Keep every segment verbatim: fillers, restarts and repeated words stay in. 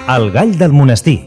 El gall del monestir.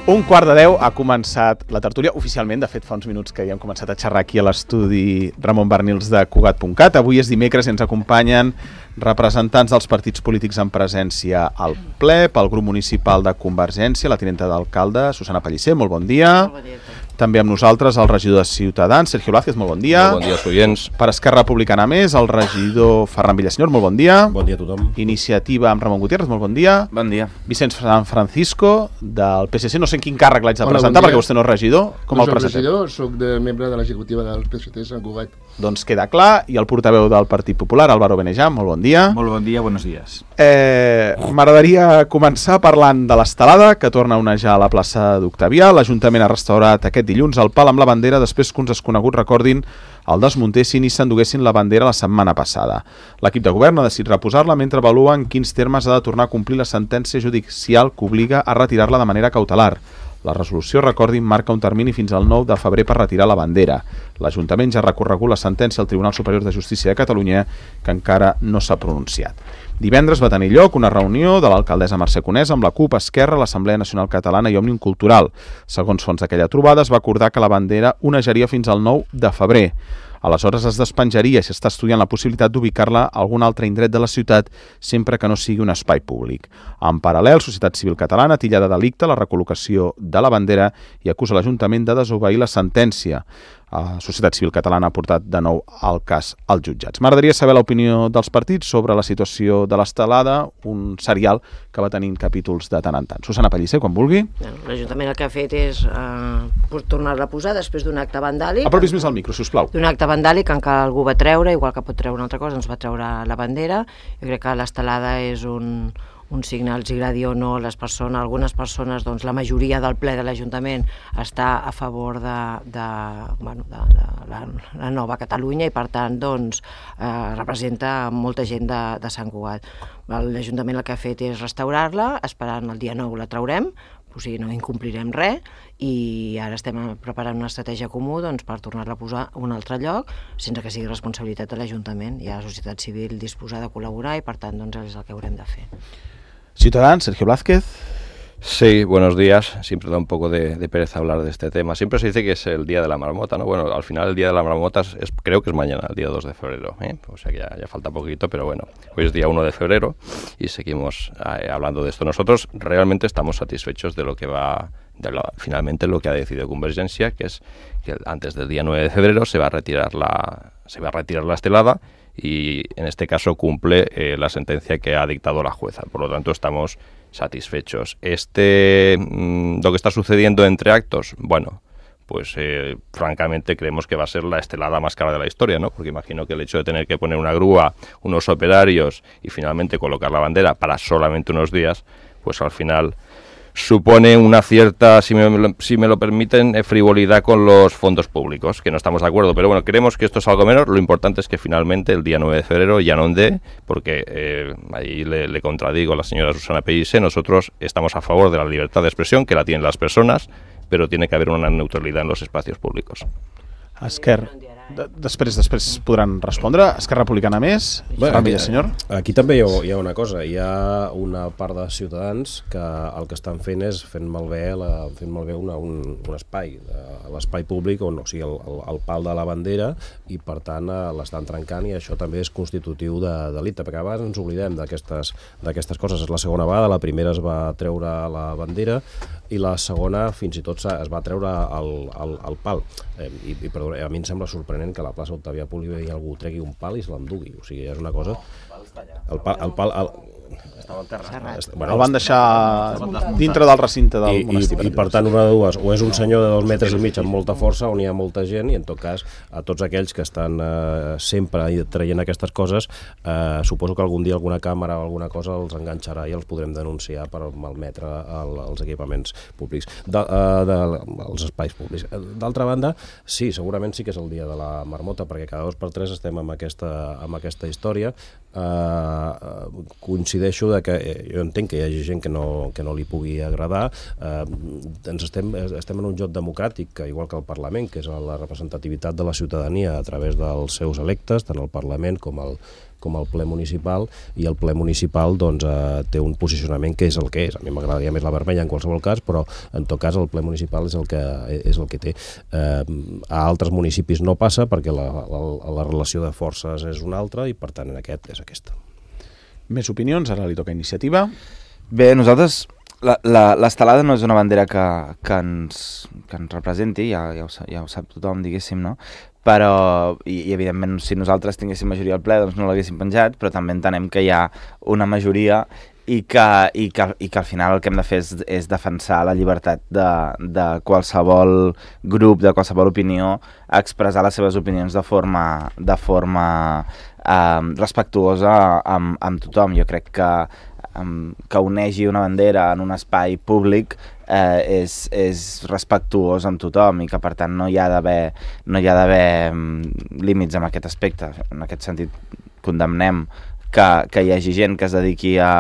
Un quart de deu ha començat la tertúlia, oficialment, de fet fa uns minuts que ja hem començat a xerrar aquí a l'estudi Ramon Barnils de Cugat punt cat. Avui és dimecres i ens acompanyen representants dels partits polítics en presència al ple, pel grup municipal de Convergència, la tinenta d'alcalde, Susana Pellicer, molt bon dia. Molt bon dia. També amb nosaltres el regidor de Ciutadans, Sergio Blázquez, molt bon dia. Molt bon dia, oients. Per Esquerra Republicana Més, el regidor Ferran Villasenyor, molt bon dia. Bon dia a tothom. Iniciativa amb Ramon Gutiérrez, molt bon dia. Bon dia. Vicenç San Francisco, del P S C, no sé en quin càrrec l'haig de Hola, presentar, bon dia. perquè vostè no és regidor. Com no el presentem? soc regidor, soc de membre de l'executiva del P S C Sant Cugat. Doncs queda clar. I el portaveu del Partit Popular, Álvaro Benejam, molt bon dia. Molt bon dia, buenos días. Eh, M'agradaria començar parlant de l'estelada, que torna a onejar a la plaça d'Octavià. L'Ajuntament ha restaurat aquest dilluns el pal amb la bandera després que uns desconeguts recordin el desmuntessin i s'enduguessin la bandera la setmana passada. L'equip de govern ha decidit reposar-la mentre avalua en quins termes ha de tornar a complir la sentència judicial que obliga a retirar-la de manera cautelar. La resolució, recordin, marca un termini fins al nou de febrer per retirar la bandera. L'Ajuntament ja ha recorregut la sentència al Tribunal Superior de Justícia de Catalunya, que encara no s'ha pronunciat. Divendres va tenir lloc una reunió de l'alcaldessa Mercè Conesa amb la CUP, Esquerra, l'Assemblea Nacional Catalana i Òmnium Cultural. Segons fons d'aquella trobada, es va acordar que la bandera onejaria fins al nou de febrer. Aleshores es despenjaria i s'està estudiant la possibilitat d'ubicar-la a algun altre indret de la ciutat sempre que no sigui un espai públic. En paral·lel, Societat Civil Catalana titlla de delicte la recol·locació de la bandera i acusa l'Ajuntament de desobeir la sentència. La Societat Civil Catalana ha portat de nou el cas als jutjats. M'agradaria saber l'opinió dels partits sobre la situació de l'estelada, un serial que va tenint capítols de tant en tant. Susana Pellicer, quan vulgui. L'Ajuntament el que ha fet és eh, tornar-la a posar després d'un acte vandàlic. Apropis més al micro, sisplau. D'un acte vandàlic que encara algú va treure, igual que pot treure una altra cosa, doncs va treure la bandera. Jo crec que l'estelada és un... un signe, els agradi o no, les persones, algunes persones, doncs la majoria del ple de l'Ajuntament està a favor de, de, bueno, de, de la, la nova Catalunya i per tant doncs, eh, representa molta gent de, de Sant Cugat. L'Ajuntament el que ha fet és restaurar-la, esperant el dia nou la traurem, o sigui, no incomplirem res, i ara estem preparant una estratègia comú doncs, per tornar-la a posar a un altre lloc sense que sigui responsabilitat de l'Ajuntament. Hi ha la societat civil disposada a col·laborar i per tant doncs, és el que haurem de fer. Ciudadanos, Sergio Blázquez. Sí, buenos días. Siempre da un poco de, de pereza hablar de este tema. Siempre se dice que es el día de la marmota, ¿no? Bueno, al final el día de la marmota es, creo que es mañana, el día dos de febrero, ¿eh? O sea que ya, ya falta poquito, pero bueno, hoy es día uno de febrero y seguimos eh, hablando de esto. Nosotros realmente estamos satisfechos de lo que va, de lo, finalmente lo que ha decidido Convergencia, que es que antes del día nueve de febrero se va a retirar la, se va a retirar la estelada y en este caso cumple eh, la sentencia que ha dictado la jueza. Por lo tanto, estamos satisfechos. Este, mmm, lo que está sucediendo entre actos, bueno, pues eh, francamente creemos que va a ser la estelada más cara de la historia, ¿no? Porque imagino que el hecho de tener que poner una grúa, unos operarios y finalmente colocar la bandera para solamente unos días, pues al final supone una cierta, si me, si me lo permiten, frivolidad con los fondos públicos, que no estamos de acuerdo. Pero bueno, creemos que esto es algo menor. Lo importante es que finalmente el día nueve de febrero ya no dé, porque eh, ahí le, le contradigo a la señora Susana Pellicer, nosotros estamos a favor de la libertad de expresión, que la tienen las personas, pero tiene que haber una neutralidad en los espacios públicos. Esquerra. De, després després podran respondre. Esquerra Republicana Més, Ferran Villasenyor. Aquí també hi ha, hi ha una cosa, hi ha una part de ciutadans que el que estan fent és fent malbé, la, fent malbé una, un, un espai, l'espai públic, on, o sigui, el, el, el pal de la bandera, i per tant l'estan trencant, i això també és constitutiu de delicte, perquè a vegades ens oblidem d'aquestes d'aquestes coses. És la segona vegada, la primera es va treure la bandera i la segona fins i tot es va treure el, el, el pal. Eh, i, i perdó, a mi em sembla sorprenent que a la plaça Octavià pugui haver algú tregui un pal i se l'endugui. O sigui, és una cosa... El pal... El pal el... Estava al terra. Bueno, el van deixar dintre del recinte del I, monestir. I, I per tant, una de dues, o és un senyor de dos metres i mig amb molta força, on hi ha molta gent, i en tot cas, a tots aquells que estan eh, sempre traient aquestes coses, eh, suposo que algun dia alguna càmera o alguna cosa els enganxarà i els podrem denunciar per malmetre el, els equipaments públics, de, eh, de, els espais públics. D'altra banda, sí, segurament sí que és el dia de la marmota, perquè cada dos per tres estem amb aquesta, amb aquesta història. Eh, coincideix coincideixo de que eh, jo entenc que hi hagi gent que no, que no li pugui agradar. Eh, ens estem, estem en un joc democràtic, que igual que el Parlament, que és la representativitat de la ciutadania a través dels seus electes, tant el Parlament com el, com el ple municipal, i el ple municipal doncs, eh, té un posicionament que és el que és. A mi m'agradaria més la vermella en qualsevol cas, però en tot cas el ple municipal és el que, és el que té. Eh, a altres municipis no passa perquè la, la, la relació de forces és una altra i per tant en aquest és aquesta. Més opinions, ara li toca iniciativa. Bé, nosaltres, l'estelada no és una bandera que, que, ens, que ens representi, ja, ja, ho, ja ho sap tothom, diguéssim, no? Però, i, i evidentment, si nosaltres tinguéssim majoria al ple, doncs no l'haguéssim penjat, però també entenem que hi ha una majoria i que, i que, i que al final el que hem de fer és, és defensar la llibertat de, de qualsevol grup, de qualsevol opinió, a expressar les seves opinions de forma, de forma eh, respectuosa amb, amb tothom. Jo crec que, um, que onegi una bandera en un espai públic eh, és, és respectuós amb tothom i que per tant no hi ha d'haver no hi ha d'haver um, límits en aquest aspecte. En aquest sentit condemnem que, que hi hagi gent que es dediqui a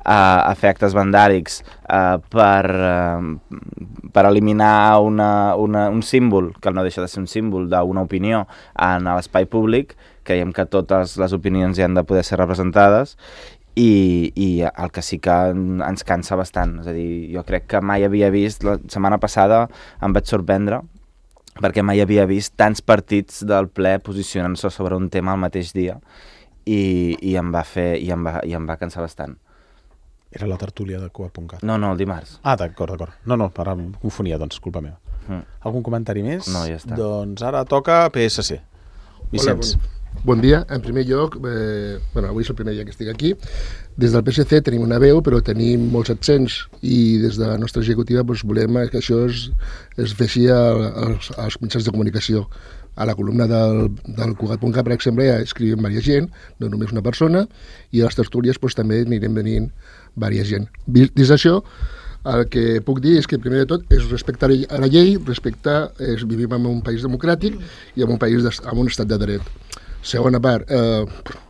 a, a fer actes vandàlics eh, per, eh, per eliminar una, una, un símbol, que no deixa de ser un símbol d'una opinió en l'espai públic. Creiem que totes les opinions hi han de poder ser representades i, i el que sí que ens cansa bastant. És a dir, jo crec que mai havia vist, la setmana passada em vaig sorprendre perquè mai havia vist tants partits del ple posicionant-se sobre un tema al mateix dia i, i, em va fer, i, em va, i em va cansar bastant. Era la tertúlia de Coa punt cat. No, no, el dimarts. Ah, d'acord, d'acord. No, no, ara em confonia, doncs, culpa meva. Mm. Algun comentari més? No, ja està. Doncs ara toca P S C. Vicenç. Hola, bon, bon dia. En primer lloc, eh, bueno, avui és el primer dia que estic aquí. Des del P S C tenim una veu, però tenim molts absents i des de la nostra executiva doncs, volem que això es, es feixi als, als mitjans de comunicació. A la columna del, del Cugat punt cat, per exemple, ja escrivim diversa gent, no només una persona, i a les tertúlies doncs, també anirem venint diversa gent. Dins d'això, el que puc dir és que, primer de tot, és respectar a la llei, respectar, és, vivim en un país democràtic i en un país de, en un estat de dret. Segona part, eh,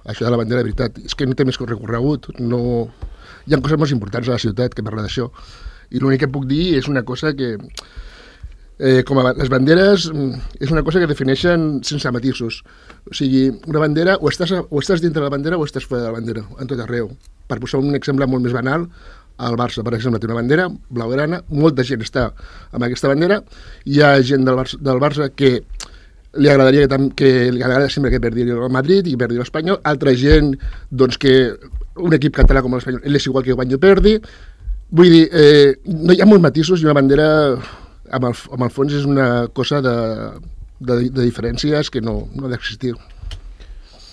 això de la bandera, de veritat, és que no té més recorregut, no... hi ha coses molt importants a la ciutat que parla d'això. I l'únic que puc dir és una cosa que... Eh, com a, les banderes és una cosa que defineixen sense matisos. O sigui, una bandera, o estàs, o estàs dintre de la bandera o estàs fora de la bandera, en tot arreu. Per posar un exemple molt més banal, el Barça, per exemple, té una bandera blaugrana, molta gent està amb aquesta bandera, hi ha gent del Barça, del Barça que li agradaria que, que li agradaria sempre que perdi el Madrid i perdi l'Espanyol, altra gent doncs, que un equip català com l'Espanyol és igual que guanyi o perdi. Vull dir, eh, no hi ha molts matisos i una bandera amb el, amb el fons és una cosa de, de, de diferències que no, no ha d'existir.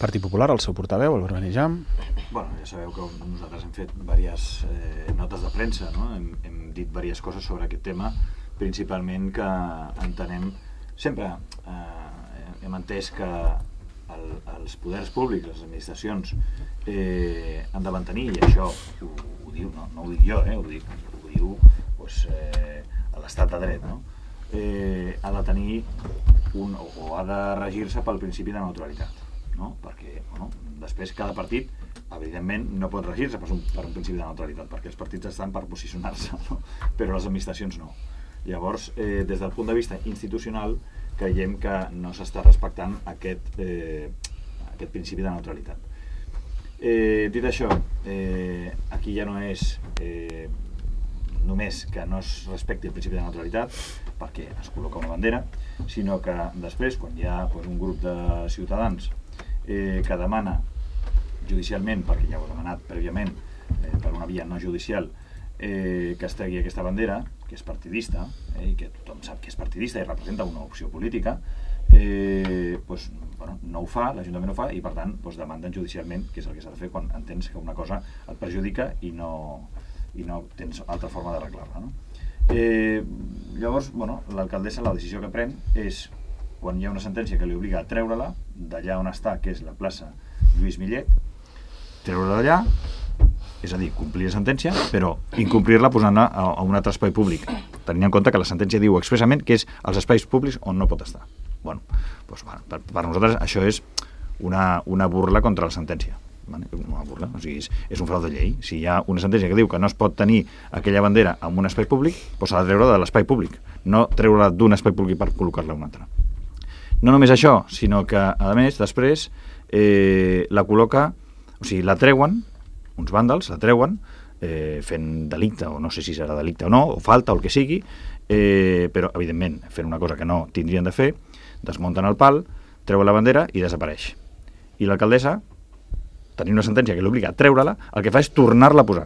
Partit Popular, el seu portaveu, el Benejam. Bueno, ja sabeu que nosaltres hem fet diverses eh, notes de premsa, no? hem, hem dit diverses coses sobre aquest tema, principalment que entenem, sempre eh, hem entès que el, els poders públics, les administracions, eh, han de mantenir, i això ho, ho diu, no, no ho dic jo, eh, ho, dic, ho diu pues, eh, l'estat de dret, no? eh, ha de tenir un, o ha de regir-se pel principi de neutralitat, no? Perquè bueno, després cada partit evidentment no pot regir-se per un, per un principi de neutralitat, perquè els partits estan per posicionar-se, no? Però les administracions no. Llavors, eh, des del punt de vista institucional, creiem que no s'està respectant aquest, eh, aquest principi de neutralitat. Eh, dit això, eh, aquí ja no és eh, només que no es respecti el principi de neutralitat perquè es col·loca una bandera, sinó que després, quan hi ha pues, un grup de ciutadans eh, que demana judicialment, perquè ja ho ha demanat prèviament eh, per una via no judicial, eh, que es tregui aquesta bandera, que és partidista, eh, i que tothom sap que és partidista i representa una opció política, eh, pues, bueno, no ho fa, l'Ajuntament no ho fa, i per tant pues, demanden judicialment, que és el que s'ha de fer quan entens que una cosa et perjudica i no, i no tens altra forma d'arreglar-la, no? Eh, llavors, bueno, l'alcaldessa, la decisió que pren és, quan hi ha una sentència que li obliga a treure-la d'allà on està, que és la plaça Lluís Millet, treure-la d'allà, és a dir, complir la sentència, però incomplir-la posant-la a, a un altre espai públic, tenint en compte que la sentència diu expressament que és els espais públics on no pot estar. Bueno, doncs, bueno per, per nosaltres això és una, una burla contra la sentència. Vale? Una burla, o sigui, és, és un frau de llei. Si hi ha una sentència que diu que no es pot tenir aquella bandera en un espai públic, doncs s'ha de treure de l'espai públic, no treure-la d'un espai públic per col·locar-la a un altre. No només això, sinó que, a més, després eh, la col·loca, o sigui, la treuen, uns vàndals, la treuen, eh, fent delicte, o no sé si serà delicte o no, o falta, o el que sigui, eh, però, evidentment, fent una cosa que no tindrien de fer, desmunten el pal, treuen la bandera i desapareix. I l'alcaldessa, tenir una sentència que l'obliga a treure-la, el que fa és tornar-la a posar.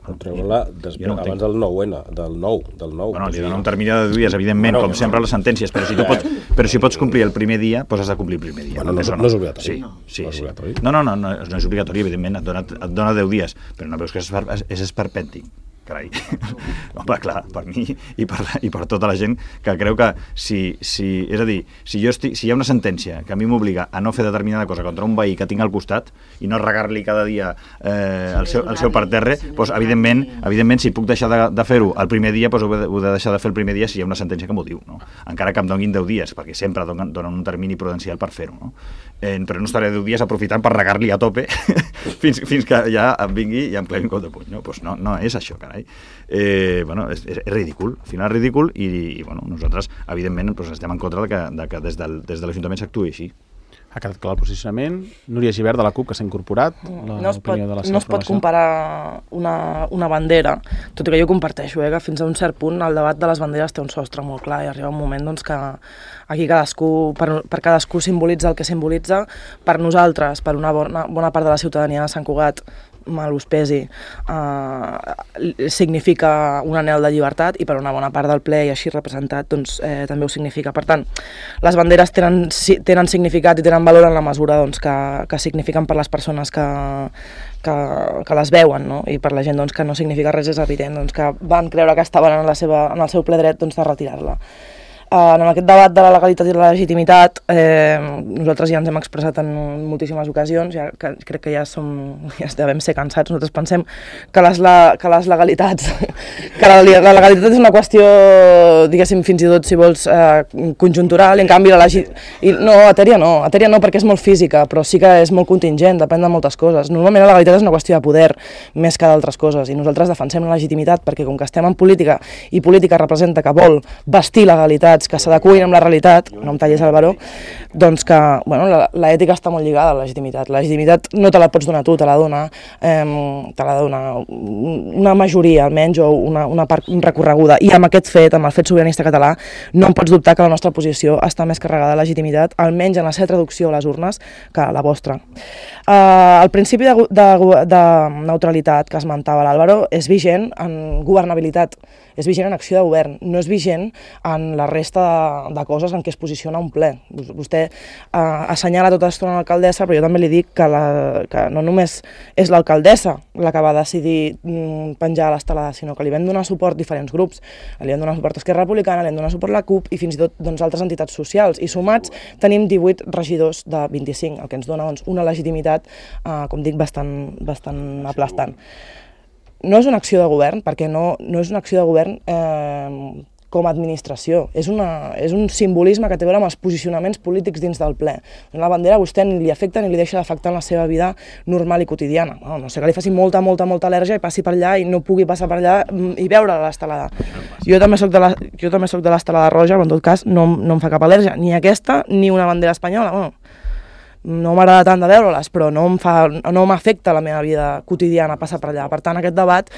Treure-la no abans del nou ene, del nou, del nou. Bueno, li dona un termini de dies, evidentment, bueno, com sempre les sentències, però si tu pots, però si pots complir el primer dia, doncs has de complir el primer dia. Bueno, no, no, no és obligatori. Sí, sí, no, és obligatori. Sí. No, no, no, no, no és obligatori, evidentment, et dona, et dona deu dies, però no veus que és, és esperpèntic. Carai. Home, clar, per mi i per, i per tota la gent que creu que si, si és a dir, si, jo estic, si hi ha una sentència que a mi m'obliga a no fer determinada cosa contra un veí que tinc al costat i no regar-li cada dia eh, el, seu, el seu parterre, doncs, evidentment, evidentment, si puc deixar de, de fer-ho el primer dia, doncs ho he, ho he de deixar de fer el primer dia si hi ha una sentència que m'ho diu, no? Encara que em donin deu dies, perquè sempre donen, donen un termini prudencial per fer-ho, no? Eh, però no estaré deu dies aprofitant per regar-li a tope fins, fins que ja em vingui i em clavi un cop de puny, no? Doncs no, no és això, carai. Eh, bueno, és, és, és ridícul, al final és ridícul i, i bueno, nosaltres, evidentment, doncs estem en contra de que, de que des, del, des de l'Ajuntament s'actuï així. Ha quedat clar el posicionament. Núria Gibert, de la CUP, que s'ha incorporat. No es pot, no es pot comparar una, una bandera, tot i que jo comparteixo, eh, que fins a un cert punt el debat de les banderes té un sostre molt clar i arriba un moment doncs, que aquí cadascú, per, per cadascú simbolitza el que simbolitza. Per nosaltres, per una bona, bona part de la ciutadania de Sant Cugat, mal us pesi, eh, significa un anhel de llibertat i per una bona part del ple i així representat doncs, eh, també ho significa. Per tant, les banderes tenen, tenen significat i tenen valor en la mesura doncs, que, que signifiquen per les persones que, que, que les veuen, no? I per la gent doncs, que no significa res és evident, doncs, que van creure que estaven en, la seva, en el seu ple dret doncs, de retirar-la. Uh, en aquest debat de la legalitat i la legitimitat eh, nosaltres ja ens hem expressat en moltíssimes ocasions, ja, que, crec que ja, som, ja devem ser cansats. Nosaltres pensem que les, la, que les legalitats que la, la legalitat és una qüestió, diguéssim, fins i tot si vols eh, conjuntural, i en canvi la legitimitat no, etèria no, etèria no perquè és molt física, però sí que és molt contingent, depèn de moltes coses. Normalment la legalitat és una qüestió de poder més que d'altres coses i nosaltres defensem la legitimitat perquè com que estem en política i política representa que vol vestir legalitat que s'adecuïn amb la realitat, no em tallis el baró, doncs que bueno, l'ètica està molt lligada a la legitimitat. La legitimitat no te la pots donar tu, te la dona, eh, te la dona una majoria almenys o una, una part recorreguda. I amb aquest fet, amb el fet sobiranista català, no em pots dubtar que la nostra posició està més carregada de legitimitat, almenys en la seva traducció a les urnes, que la vostra. Eh, el principi de, de, de neutralitat que esmentava l'Àlvaro és vigent en governabilitat, és vigent en acció de govern, no és vigent en la resta de, de coses en què es posiciona un ple. Vostè eh, assenyala tota l'estona l'alcaldessa, però jo també li dic que, la, que no només és l'alcaldessa la que va decidir mm, penjar a l'estelada, sinó que li vam donar suport diferents grups. Li vam donar suport a Esquerra Republicana, li vam donar suport a la CUP i fins i tot doncs, altres entitats socials. I sumats tenim divuit regidors de vint-i-cinc, el que ens dona doncs, una legitimitat, eh, com dic, bastant, bastant aplastant. No és una acció de govern, perquè no, no és una acció de govern eh, com a administració. És, una, és un simbolisme que té a veure amb els posicionaments polítics dins del ple. La bandera a vostè ni li afecta ni li deixa d'afectar en la seva vida normal i quotidiana. No, no sé que li faci molta, molta, molta al·lèrgia i passi per allà i no pugui passar per allà i veure l'estelada. Jo també soc de la, jo també soc de l'estelada roja, però en tot cas no, no em fa cap al·lèrgia. Ni aquesta ni una bandera espanyola. Bueno, no m'agrada tant de veure-les, però no m'afecta la meva vida quotidiana passar per allà. Per tant, aquest debat,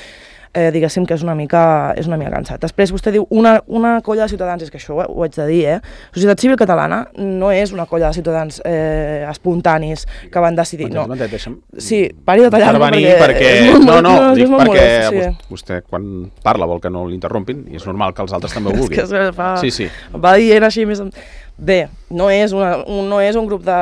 eh, diguéssim que és una mica, és una mica cansat. Després vostè diu una, una colla de ciutadans, és que això ho, ho haig de dir, eh? La societat civil catalana no és una colla de ciutadans eh, espontanis que van decidir, no. no deixa'm sí, pari de tallar-me perquè... perquè... molt, no, no, no, dic molt perquè molt, sí. vostè quan parla vol que no l'interrompin i és normal que els altres també ho vulguin. És que fa... Sí, sí. Va dient així més... Bé, no és, una, un, no és un grup de,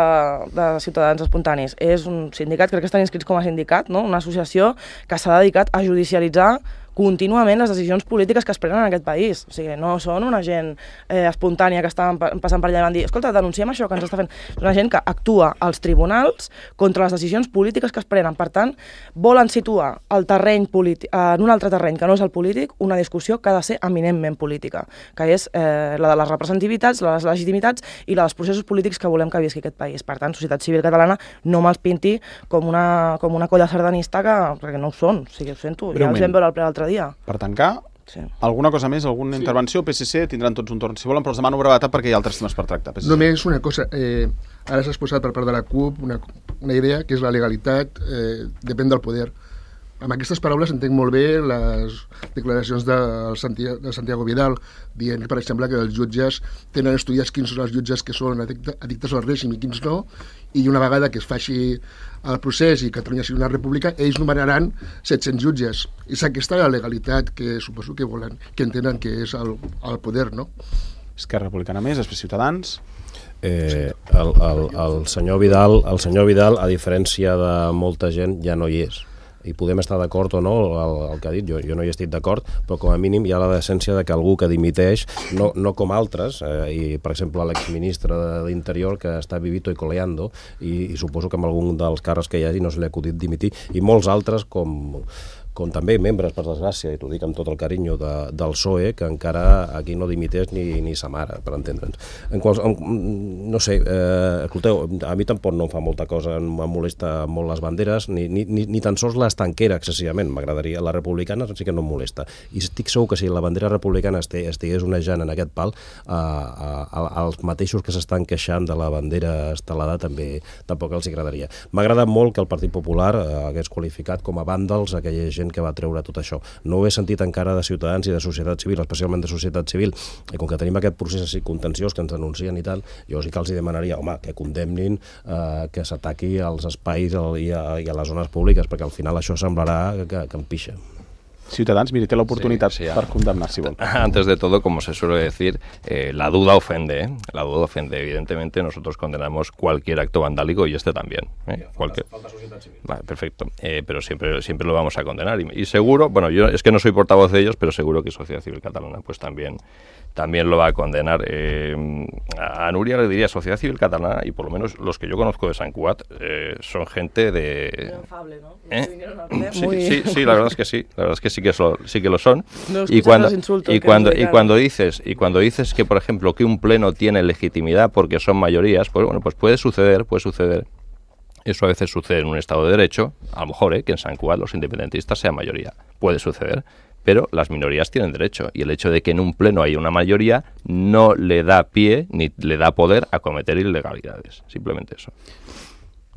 de ciutadans espontanis, és un sindicat, crec que estan inscrits com a sindicat, no? Una associació que s'ha dedicat a judicialitzar contínuament les decisions polítiques que es prenen en aquest país. O sigui, no són una gent eh, espontània que estan passant per allà i van dir escolta, denunciem això que ens està fent. És una gent que actua als tribunals contra les decisions polítiques que es prenen. Per tant, volen situar el terreny polític, en un altre terreny que no és el polític, una discussió que ha de ser eminentment política, que és eh, la de les representativitats, la de les legitimitats i la dels processos polítics que volem que visqui aquest país. Per tant, societat civil catalana no me'ls pinti com una, com una colla sardanista que, perquè no ho són, o sigui, ho sento, ja els vam veure al ple l'altre dia. Per tancar, sí. Alguna cosa més, alguna sí. intervenció? P S C tindran tots un torn, si volen, però els demano brevetat perquè hi ha altres temes per tractar. P S C. Només una cosa, eh, ara s'ha exposat per part de la CUP una, una idea que és la legalitat, eh, depèn del poder. Amb aquestes paraules entenc molt bé les declaracions de Santiago, de Santiago Vidal, dient, per exemple, que els jutges tenen estudiats quins són els jutges que són addictes al règim i quins no, i una vegada que es faci el procés i Catalunya sigui una república, ells nomenaran set-cents jutges. És aquesta la legalitat que suposo que volen, que entenen que és el, el poder, no? Esquerra Republicana més, després Ciutadans. Eh, el, el, el, senyor Vidal, el senyor Vidal, a diferència de molta gent, ja no hi és. I podem estar d'acord o no el, el que ha dit, jo, jo no hi estic d'acord, però com a mínim hi ha la decència de que algú que dimiteix, no, no com altres, eh, i per exemple l'exministre d'Interior que està vivito i coleando, i, i suposo que amb algun dels càrrecs que hi hagi no se li ha acudit dimitir, i molts altres com... com també membres, per desgràcia, i t'ho dic amb tot el carinyo de, del P S O E, que encara aquí no dimiteix ni, ni sa mare, per entendre'ns. En quals, en, no sé, eh, escolteu, a mi tampoc no em fa molta cosa, em molesta molt les banderes, ni, ni, ni, ni tan sols l'estanquera excessivament, m'agradaria. La republicana sí que no em molesta. I estic segur que si la bandera republicana estigués onejant en aquest pal, eh, eh, els mateixos que s'estan queixant de la bandera estelada també tampoc els agradaria. M'ha agradat molt que el Partit Popular eh, hagués qualificat com a vàndals aquella gent que va treure tot això. No ho he sentit encara de Ciutadans i de societat civil, especialment de societat civil, i com que tenim aquest procés així contenciós que ens denuncien i tal, jo sí que els hi demanaria, home, que condemnin eh, que s'ataqui als espais i a, i a les zones públiques, perquè al final això semblarà que, que em pixa. Ciutadans, mire, té la oportunidad sí, sí, para condenar, si vol. Antes de todo, como se suele decir, eh, la duda ofende, ¿eh? La duda ofende. Evidentemente, nosotros condenamos cualquier acto vandálico y este también. ¿eh? Sí, cualquier... falta, falta sociedad civil. Vale, perfecto. Eh, pero siempre, siempre lo vamos a condenar. Y, y seguro, bueno, yo es que no soy portavoz de ellos, pero seguro que Sociedad Civil Catalana pues también, también lo va a condenar. Eh, a Núria le diría Sociedad Civil Catalana, y por lo menos los que yo conozco de Sant Cugat, eh, son gente de... Infable, ¿no? ¿Eh? Sí, Muy... sí, sí, la verdad es que sí. La verdad es que sí que, so, sí que lo son. No, y cuando, y, cuando, y, cuando dices, y cuando dices que, por ejemplo, que un pleno tiene legitimidad porque son mayorías, pues bueno, pues puede suceder, puede suceder. Eso a veces sucede en un Estado de Derecho, a lo mejor, ¿eh? que en Sant Cugat los independentistas sean mayoría. Puede suceder. Pero las minorías tienen derecho, y el hecho de que en un pleno haya una mayoría no le da pie ni le da poder a cometer ilegalidades. Simplemente eso.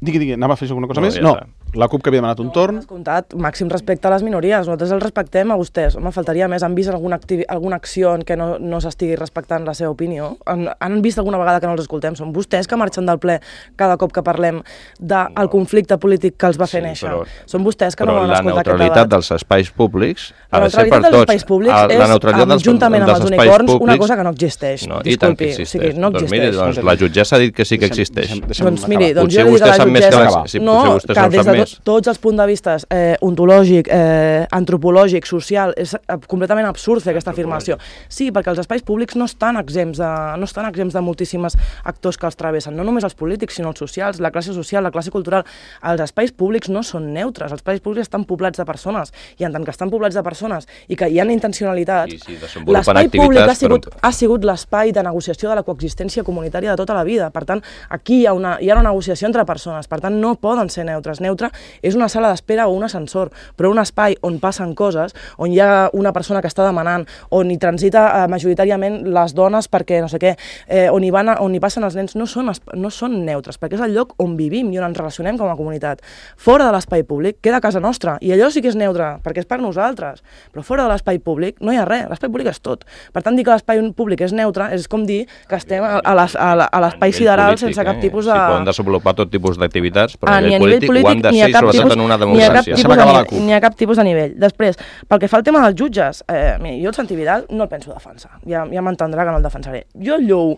Digui, digui, anava a fer alguna cosa no, més? Ja no, està. La CUP que havia demanat un torn. Escoltat, màxim respecte a les minories. Nosaltres els respectem a vostès. Home, faltaria més. Han vist alguna, alguna acció en què no, no s'estigui respectant la seva opinió? Han, han vist alguna vegada que no els escoltem? Són vostès que marxen del ple cada cop que parlem del no. conflicte polític que els va fer sí, néixer. Però, Són vostès que no volen escoltar aquest debat. Però la neutralitat dels espais públics ha de ser per tots. La neutralitat dels espais públics és, juntament amb els unicorns, una cosa que no existeix. No, Disculpi, o sigui, no doncs, existeix. Miri, doncs, la jutgessa ha dit que sí que existeix. Deixem, deixem doncs miri, doncs jo li dic a la jutgessa... Si, no, que des de to, tots els punts de vista eh, ontològic, eh, antropològic, social, és eh, completament absurd fer aquesta afirmació. Sí, perquè els espais públics no estan exempts de, no estan exempts de moltíssims actors que els travessen, no només els polítics, sinó els socials, la classe social, la classe cultural. Els espais públics no són neutres, els espais públics estan poblats de persones, i en tant que estan poblats de persones i que hi ha intencionalitats, sí, l'espai públic ha sigut, ha sigut l'espai de negociació de la coexistència comunitària de tota la vida. Per tant, aquí hi ha una, hi ha una negociació entre persones, per tant, no poden ser neutres. Neutre és una sala d'espera o un ascensor, però un espai on passen coses, on hi ha una persona que està demanant, on hi transita eh, majoritàriament les dones perquè no sé què, eh, on, hi van, on hi passen els nens, no són, no són neutres, perquè és el lloc on vivim i on ens relacionem com a comunitat. Fora de l'espai públic queda casa nostra, i allò sí que és neutre, perquè és per nosaltres, però fora de l'espai públic no hi ha res, l'espai públic és tot. Per tant, dir que l'espai públic és neutre és com dir que estem a, a l'espai sideral sense cap tipus de... Sí, poden desenvolupar tot tipus d'activitats, però ah, a nivell polític, polític ho han de ser, sobretot en una democràcia. Ni a cap tipus de nivell. Després, pel que fa al tema dels jutges, eh, mira, jo el Santi Vidal no el penso defensar, ja, ja m'entendrà que no el defensaré. Jo el llou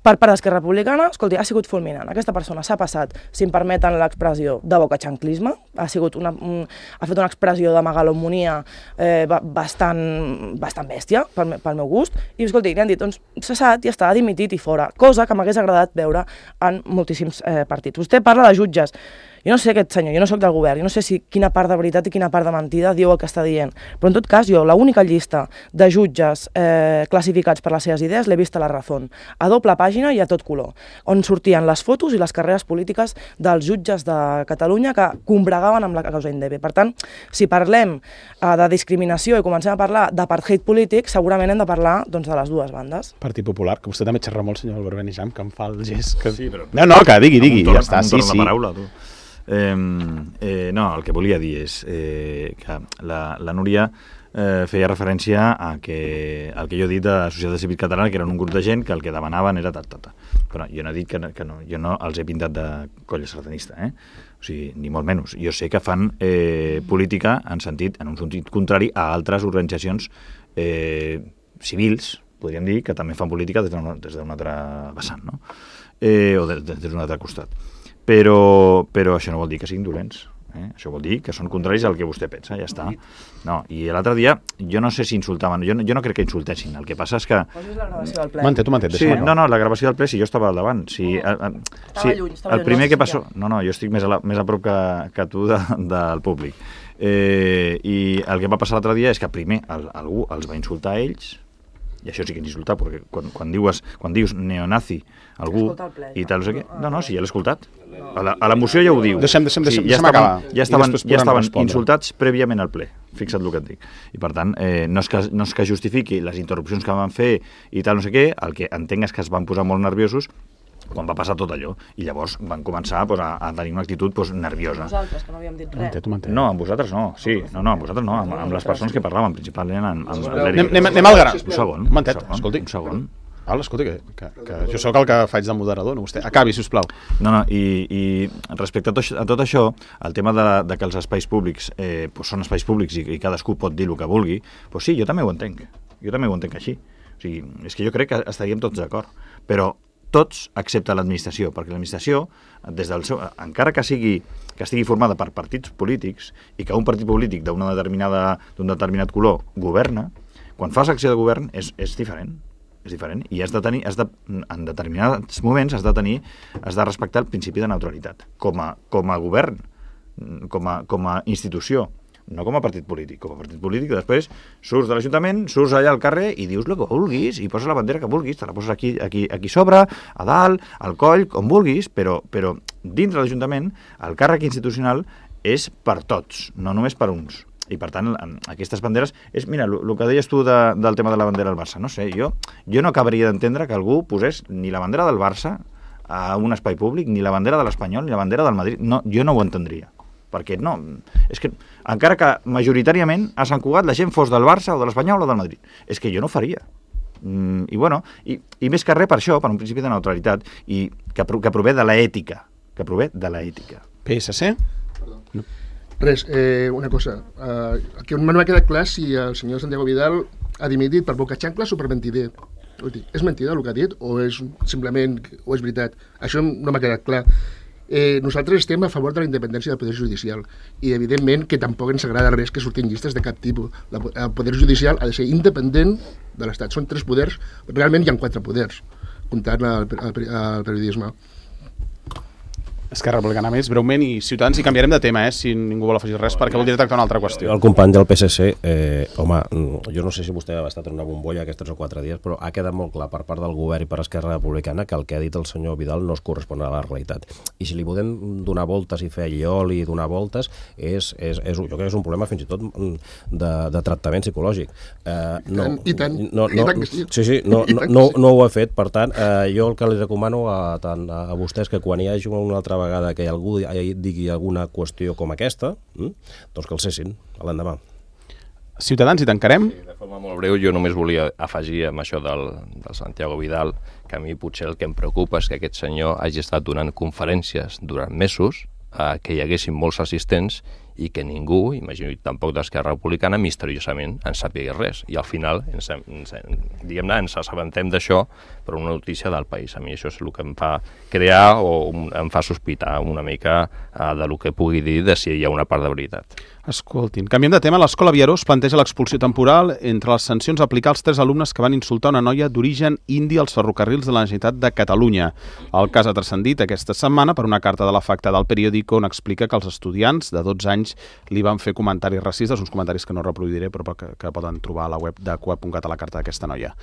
Per part d'Esquerra Republicana, escolti, ha sigut fulminant. Aquesta persona s'ha passat, si em permeten l'expressió, de bocaxanclisme, ha, sigut una, un, ha fet una expressió de megalomonia eh, bastant, bastant bèstia, pel, pel meu gust, i escolti, li han dit, doncs, cessat, ja està, dimitit i fora, cosa que m'hagués agradat veure en moltíssims eh, partits. Vostè parla de jutges. Jo no sé aquest senyor, jo no sóc del govern, jo no sé si quina part de veritat i quina part de mentida diu el que està dient, però en tot cas jo l'única llista de jutges eh, classificats per les seves idees l'he vist a La Razón, a doble pàgina i a tot color, on sortien les fotos i les carreres polítiques dels jutges de Catalunya que combregaven amb la causa Indebe. Per tant, si parlem eh, de discriminació i comencem a parlar d'apartheid polític, segurament hem de parlar doncs, de les dues bandes. Partit Popular, que vostè també xerra molt, senyor Albert Benijam, que em fa el gest. Que... Sí, però... No, no, que digui, digui, torn, ja està, sí, sí. Paraula, tu. Eh, eh, no, el que volia dir és eh, que la, la Núria eh, feia referència a que, al que jo he dit de la Societat Civil Catalana, que eren un grup de gent que el que demanaven era tal, tal, tal. Però jo no he dit que no, que no, jo no els he pintat de colla sardanista, eh? O sigui, ni molt menys. Jo sé que fan eh, política en sentit, en un sentit contrari a altres organitzacions eh, civils, podríem dir, que també fan política des d'un altre vessant, no? Eh, o des, des d'un altre costat. Però, però això no vol dir que siguin dolents. Eh? Això vol dir que són contraris al que vostè pensa, ja està. No, i l'altre dia, jo no sé si insultaven, jo no, jo no crec que insultessin, el que passa és que... Posis la gravació del ple. M'entén, tu m'entén. Sí, no, no, la gravació del ple, si jo estava al davant. Si, no, a, a, estava si, lluny, estava el lluny, primer no que passó... No, no, jo estic més a, la, més a prop que, que tu de, del públic. Eh, I el que va passar l'altre dia és que primer el, algú els va insultar a ells, i això sí que és insultar, perquè quan, quan, dius, quan dius neonazi algú i tal, no sé què... No, no, sí, ja l'he escoltat. A la, a la moció ja ho diu. Deixem, deixem, deixem, sí, ja deixem estaven, acabar. Ja estaven, ja estaven respondre. insultats prèviament al ple, fixa't el que et dic. I per tant, eh, no, és que, no és que justifiqui les interrupcions que van fer i tal, no sé què, el que entenc és que es van posar molt nerviosos quan va passar tot allò, i llavors van començar pues, a, a tenir una actitud pues, nerviosa. Nosaltres, que no havíem dit res. No, amb vosaltres no, sí, no, no, amb vosaltres no, amb, amb les persones que parlaven, principalment amb, amb Anem, anem, anem al gra. Un segon, M'entén, un segon, escolti. un segon. Val, escolti, que, que, que jo sóc el que faig de moderador, no vostè. Acabi, sisplau. No, no, i, i respecte a tot, a tot això, el tema de, de que els espais públics eh, pues són espais públics i, i cadascú pot dir el que vulgui, pues sí, jo també ho entenc, jo també ho entenc així. O sigui, és que jo crec que estaríem tots d'acord, però tots excepte l'administració, perquè l'administració, des del seu, encara que sigui que estigui formada per partits polítics i que un partit polític d'una determinada d'un determinat color governa, quan fas acció de govern és, és diferent. És diferent i has de tenir, has de, en determinats moments has de tenir, has de respectar el principi de neutralitat com a, com a govern, com a, com a institució, no com a partit polític. Com a partit polític després surts de l'Ajuntament, surts allà al carrer i dius el que vulguis i poses la bandera que vulguis, te la poses aquí, aquí, aquí sobre, a dalt, al coll, com vulguis, però, però dintre de l'Ajuntament el càrrec institucional és per tots, no només per uns. I per tant, aquestes banderes... És, mira, el que deies tu de, del tema de la bandera del Barça, no sé, jo, jo no acabaria d'entendre que algú posés ni la bandera del Barça a un espai públic, ni la bandera de l'Espanyol, ni la bandera del Madrid. No, jo no ho entendria. Perquè no... És que, encara que majoritàriament a Sant Cugat la gent fos del Barça o de l'Espanyol o del Madrid, és que jo no ho faria. Mm, I bueno, i, i més que res per això, per un principi de neutralitat, i que, que prové de l'ètica, que prové de l'ètica. P S C? No. Res, eh, una cosa. Eh, que no m'ha quedat clar si el senyor Santiago Vidal ha dimitit per boca xancles o per mentider. És mentida el que ha dit o és simplement o és veritat? Això no m'ha quedat clar. Eh, nosaltres estem a favor de la independència del Poder Judicial i evidentment que tampoc ens agrada res que surtin llistes de cap tipus. El Poder Judicial ha de ser independent de l'Estat. Són tres poders, realment hi ha quatre poders, comptant el, el, el periodisme. Esquerra Republicana més, breument, i Ciutadans, i canviarem de tema, eh, si ningú vol afegir res, perquè voldria tractar una altra qüestió. El company del P S C, eh, home, jo no sé si vostè ha estat en una bombolla aquests tres o quatre dies, però ha quedat molt clar per part del govern i per Esquerra Republicana que el que ha dit el senyor Vidal no es correspon a la realitat. I si li podem donar voltes i fer llioli i donar voltes, és, és, és, jo crec que és un problema fins i tot de, de tractament psicològic. Eh, no, I tant, no, no, i tant que sí. Sí, sí, no, no, no, no ho ha fet, per tant, eh, jo el que li recomano a, tant a vostès que quan hi hagi una altra vegada que algú digui alguna qüestió com aquesta, hm? doncs que el cessin a l'endemà. Ciutadans, i tancarem? Sí, de forma molt breu, jo només volia afegir amb això del, del Santiago Vidal que a mi potser el que em preocupa és que aquest senyor hagi estat donant conferències durant mesos, eh, que hi haguessin molts assistents i que ningú, imagino tampoc d'Esquerra Republicana, misteriosament en sàpiga res. I al final, ens, ens, diguem-ne, ens assabentem d'això per una notícia del país. A mi això és el que em fa crear o em fa sospitar una mica uh, de lo que pugui dir de si hi ha una part de veritat. Escoltin, canviem de tema. L'Escola Viaró es planteja l'expulsió temporal entre les sancions a aplicar als tres alumnes que van insultar una noia d'origen indi als ferrocarrils de la Generalitat de Catalunya. El cas ha transcendit aquesta setmana per una carta de l'afectada al periòdico on explica que els estudiants de dotze anys li van fer comentaris racistes, uns comentaris que no reproduiré però que, que poden trobar a la web de coep punt cat a la carta d'aquesta noia.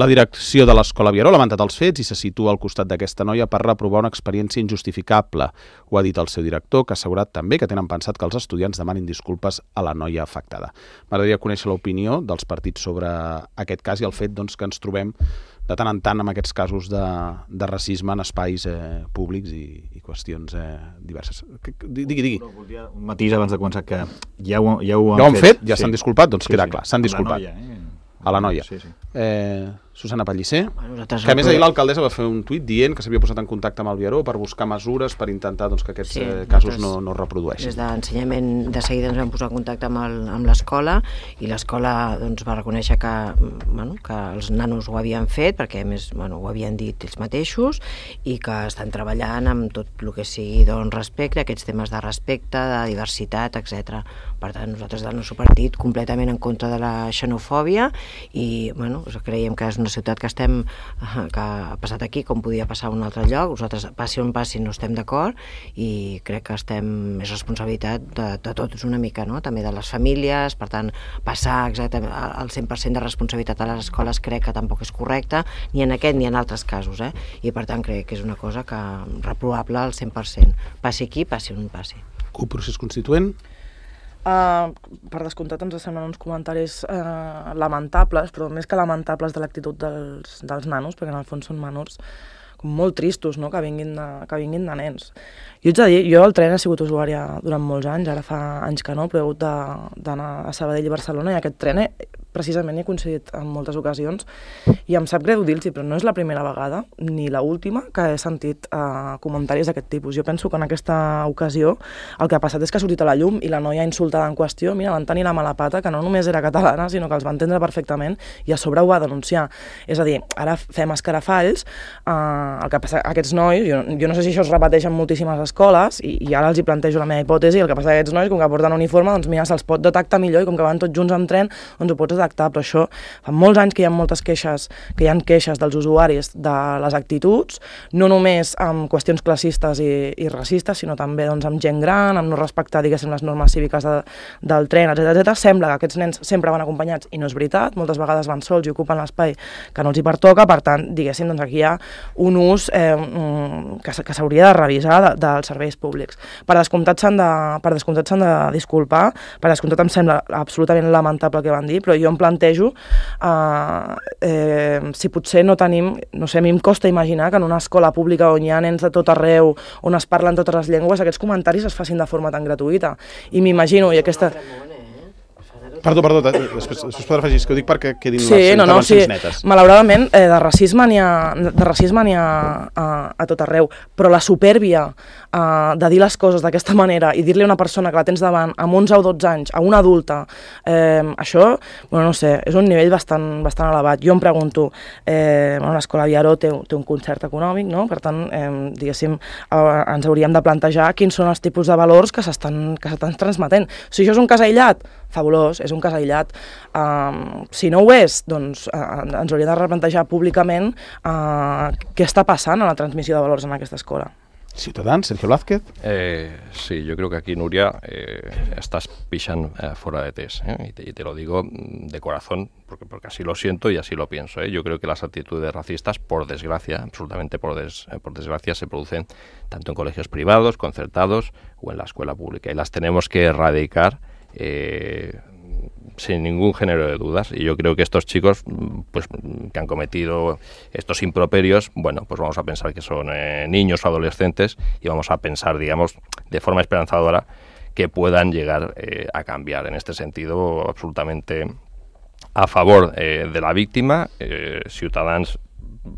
La direcció de l'Escola Viaró ha lamentat els fets i se situa al costat d'aquesta noia per reprovar una experiència injustificable. Ho ha dit el seu director, que ha assegurat també que tenen pensat que els estudiants demanin disculpes a la noia afectada. M'agradaria conèixer l'opinió dels partits sobre aquest cas i el fet doncs, que ens trobem de tant en tant amb aquests casos de, de racisme en espais eh, públics i, i qüestions eh, diverses. Digui, digui. Volia un matís abans de començar, que ja ho, ja ho han, ja ho han fet. fet? Ja sí. S'han disculpat? Doncs sí, queda sí. clar, s'han disculpat. A la noia, eh? A la noia. Sí, sí. Eh, Susana Pellicer, Bueno, que a més ahir l'alcaldessa va fer un tuit dient que s'havia posat en contacte amb el Viaró per buscar mesures per intentar doncs, que aquests Sí, eh, casos nosaltres- no, no es reprodueixin. Des d'ensenyament de seguida ens vam posar en contacte amb el- amb l'escola i l'escola doncs, va reconèixer que, bueno, que els nanos ho havien fet, perquè a més bueno, ho havien dit ells mateixos, i que estan treballant amb tot el que sigui doncs, respecte, aquests temes de respecte, de diversitat, etcètera. Per tant, nosaltres del nostre partit completament en contra de la xenofòbia i bueno, creiem que és una ciutat que estem que ha passat aquí com podia passar a un altre lloc. Nosaltres, passi on passi, no estem d'acord i crec que estem, és responsabilitat de, de tots una mica, no? També de les famílies, per tant, passar exactament al cent per cent de responsabilitat a les escoles crec que tampoc és correcte, ni en aquest ni en altres casos, eh? I per tant crec que és una cosa que reprovable al cent per cent. Passi aquí, passi on passi. CUP, procés constituent. Uh, per descomptat ens semblen uns comentaris uh, lamentables, però més que lamentables de l'actitud dels, dels nanos, perquè en el fons són menors com molt tristos, no?, que vinguin de, que vinguin de nens. Jo haig de dir, jo el tren he sigut usuària durant molts anys, ara fa anys que no, però he hagut d'anar a Sabadell i Barcelona i aquest tren he, precisament he coincidit en moltes ocasions i em sap greu dir-los, però no és la primera vegada ni la última que he sentit uh, comentaris d'aquest tipus. Jo penso que en aquesta ocasió el que ha passat és que ha sortit a la llum i la noia insultada en qüestió, mira, van tenir la mala pata que no només era catalana, sinó que els va entendre perfectament i a sobre ho va denunciar. És a dir, ara fem escarafalls, uh, el que passa, aquests nois, jo, jo no sé si això es repeteix en moltíssimes escoles i, i ara els hi plantejo la meva hipòtesi, el que passa aquests nois, com que porten uniforme, doncs mira, se'ls pot detectar millor i com que van tots junts amb tren, doncs ho pots detectar, però això fa molts anys que hi ha moltes queixes, que hi ha queixes dels usuaris de les actituds, no només amb qüestions classistes i, i racistes, sinó també doncs, amb gent gran, amb no respectar, diguéssim, les normes cíviques de, del tren, etcètera, etcètera. Sembla que aquests nens sempre van acompanyats i no és veritat, moltes vegades van sols i ocupen l'espai que no els hi pertoca, per tant, diguéssim, doncs aquí hi ha un ús eh, que, que s'hauria de revisar de, dels serveis públics. Per descomptat s'han de, per descomptat s'han de disculpar, per descomptat em sembla absolutament lamentable el que van dir, però jo em plantejo eh, eh, si potser no tenim, no sé, a mi em costa imaginar que en una escola pública on hi ha nens de tot arreu, on es parlen totes les llengües, aquests comentaris es facin de forma tan gratuïta. I m'imagino, i aquesta... Perdó, perdó, després, després podrà afegir, que ho dic perquè quedin sí, les no, no, intervencions sí. netes. Malauradament, eh, de racisme n'hi ha, de racisme n'hi ha a, a tot arreu, però la supèrbia eh, de dir les coses d'aquesta manera i dir-li a una persona que la tens davant amb onze o dotze anys, a una adulta, eh, això, bueno, no sé, és un nivell bastant, bastant elevat. Jo em pregunto, eh, bueno, l'Escola Viaró té, té un concert econòmic, no? Per tant, eh, diguéssim, eh, ens hauríem de plantejar quins són els tipus de valors que s'estan que s'estan transmetent. Si això és un cas aïllat, fabulós, és un cas aïllat. Um, si no ho és, doncs uh, ens hauria de replantejar públicament uh, què està passant a la transmissió de valors en aquesta escola. Ciutadans, Sergio Blázquez. Eh, sí, yo creo que aquí, Nuria, eh, estás pisan eh, fuera de test, ¿eh? y, te, y te lo digo de corazón, porque, porque así lo siento y así lo pienso. ¿eh? Yo creo que las actitudes racistas, por desgracia, absolutamente por, des, eh, por desgracia, se producen tanto en colegios privados, concertados o en la escuela pública, y las tenemos que erradicar Eh, sin ningún género de dudas, y yo creo que estos chicos pues que han cometido estos improperios, bueno, pues vamos a pensar que son eh, niños o adolescentes y vamos a pensar, digamos, de forma esperanzadora que puedan llegar eh, a cambiar. En este sentido, absolutamente a favor eh, de la víctima. eh, Ciutadans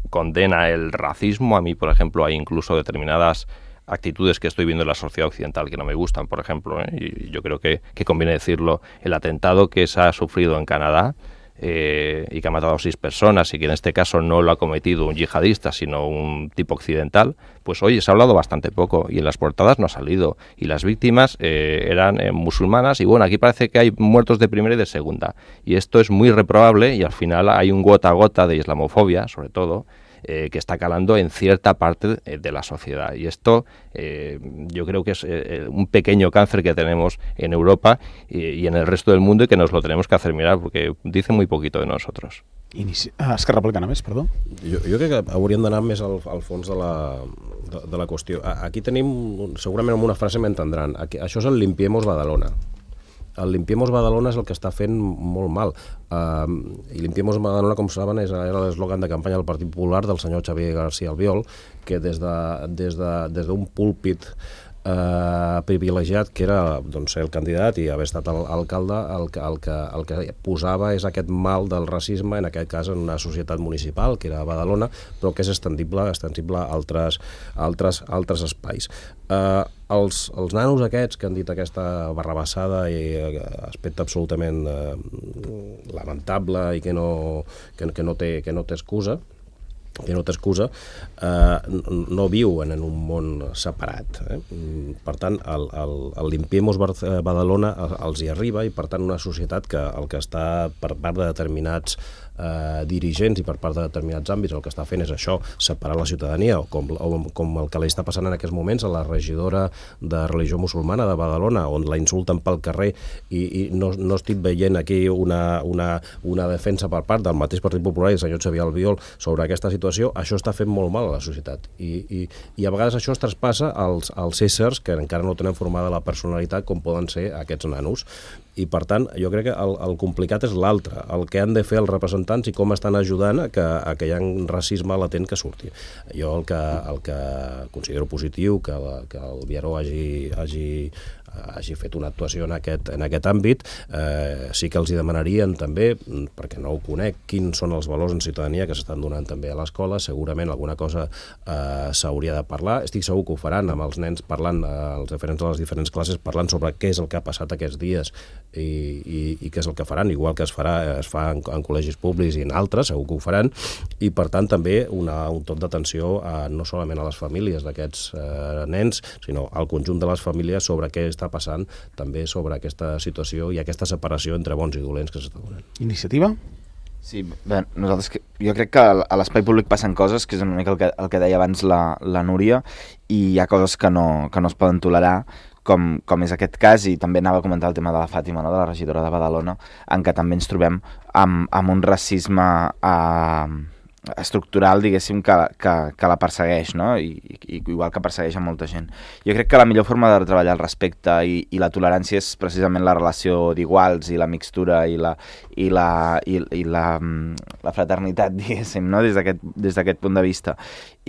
condena el racismo. A mí, por ejemplo, hay incluso determinadas actitudes que estoy viendo en la sociedad occidental que no me gustan, por ejemplo, ¿eh? Y yo creo que, que conviene decirlo, el atentado que se ha sufrido en Canadá, Eh, y que ha matado a seis personas y que en este caso no lo ha cometido un yihadista sino un tipo occidental, pues oye, se ha hablado bastante poco y en las portadas no ha salido y las víctimas eh, eran eh, musulmanas y bueno, aquí parece que hay muertos de primera y de segunda y esto es muy reprobable y al final hay un gota a gota de islamofobia, sobre todo, Eh, que está calando en cierta parte eh, de la sociedad. Y esto eh, yo creo que es eh, un pequeño cáncer que tenemos en Europa y, y en el resto del mundo y que nos lo tenemos que hacer mirar porque dice muy poquito de nosotros. Inici... Ah, Esquerra Republicana més, perdó. Jo, jo crec que hauríem d'anar més al, al fons de la, de, de la qüestió. Aquí tenim, segurament amb una frase m'entendran, aquí, això és el Limpiemos Badalona. El Limpiemos Badalona és el que està fent molt mal. Uh, I Limpiemos Badalona, com saben, és, era l'eslògan de campanya del Partit Popular del senyor Xavier García Albiol, que des d'un de, des de, des d'un púlpit Uh, privilegiat, que era doncs, ser el candidat i haver estat el, alcalde, el que, el, que, el que posava és aquest mal del racisme, en aquest cas en una societat municipal, que era Badalona, però que és extendible, extensible a altres, altres, altres espais. Uh, els, els nanos aquests que han dit aquesta barrabassada i uh, aspecte absolutament uh, lamentable i que no, que, que no té, que no té excusa, que no té excusa, eh, no viuen en un món separat. Eh? Per tant, el, el, el Limpiemos Badalona els hi arriba i, per tant, una societat que el que està per part de determinats eh, dirigents i per part de determinats àmbits el que està fent és això, separar la ciutadania, o com, o com el que li està passant en aquests moments a la regidora de religió musulmana de Badalona, on la insulten pel carrer i, i no, no estic veient aquí una, una, una defensa per part del mateix Partit Popular i el senyor Xavier Albiol sobre aquesta situació. Això està fent molt mal a la societat i, i, i a vegades això es traspassa als, als éssers que encara no tenen formada la personalitat com poden ser aquests nanos. I, per tant, jo crec que el, el complicat és l'altre, el que han de fer els representants i com estan ajudant a que, a que hi ha un racisme latent que surti. Jo el que, el que considero positiu que, la, que el Viaró hagi, hagi, hagi fet una actuació en aquest, en aquest àmbit, eh, sí que els hi demanarien també, perquè no ho conec, quins són els valors en ciutadania que s'estan donant també a l'escola, segurament alguna cosa eh, s'hauria de parlar, estic segur que ho faran amb els nens parlant, eh, els diferents de les diferents classes, parlant sobre què és el que ha passat aquests dies i, i, i què és el que faran, igual que es farà, es fa en, en col·legis públics i en altres, segur que ho faran, i per tant també una, un tot d'atenció a, no solament a les famílies d'aquests eh, nens, sinó al conjunt de les famílies sobre què està passant també sobre aquesta situació i aquesta separació entre bons i dolents que s'està donant. Iniciativa? Sí, bé, nosaltres, jo crec que a l'espai públic passen coses, que és una mica el que, el que deia abans la, la Núria, i hi ha coses que no, que no es poden tolerar, com, com és aquest cas, i també anava a comentar el tema de la Fàtima, no?, de la regidora de Badalona, en què també ens trobem amb, amb un racisme eh, estructural, diguéssim, que, que, que la persegueix, no?, I, i igual que persegueix a molta gent. Jo crec que la millor forma de treballar el respecte i, i la tolerància és precisament la relació d'iguals i la mixtura i la, i la, i, i la, la fraternitat, diguéssim, no?, des d'aquest des d'aquest punt de vista.